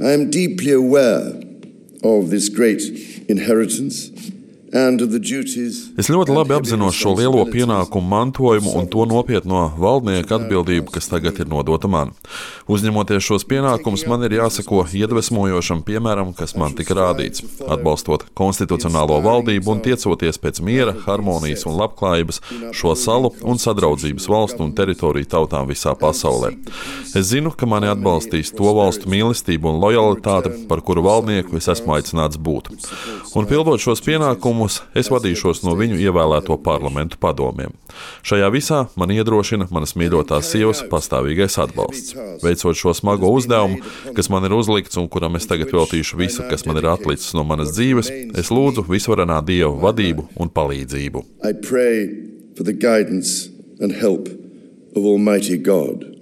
I am deeply aware of this great inheritance and of the duties. Es ļoti labi apzinos šo lielo pienākumu mantojumu un to nopietno valdnieka atbildību, kas tagad ir nodota man. Uzņemoties šos pienākumus, man ir jāsako iedvesmojošam piemēram, kas man tika rādīts, atbalstot konstitucionālo valdību un tiecoties pēc miera, harmonijas un labklājības šo salu un sadraudzības valstu un teritoriju tautām visā pasaulē. Es zinu, ka mani atbalstīs to valstu mīlestību un lojalitāte, par kuru valdnieku es esmu aicināts būt. Un pildot šos pienākumus, es vadīšos no viņu ievēlēto parlamentu padomiem. Šajā visā man iedrošina manas mīļotās sievas pastāvīgais atbalsts. Veicot šo smago uzdevumu, kas man ir uzlikts un kuram es tagad veltīšu visu, kas man ir atlicis no manas dzīves, es lūdzu visvarenā Dieva vadību un palīdzību. I pray for the guidance and help of Almighty God.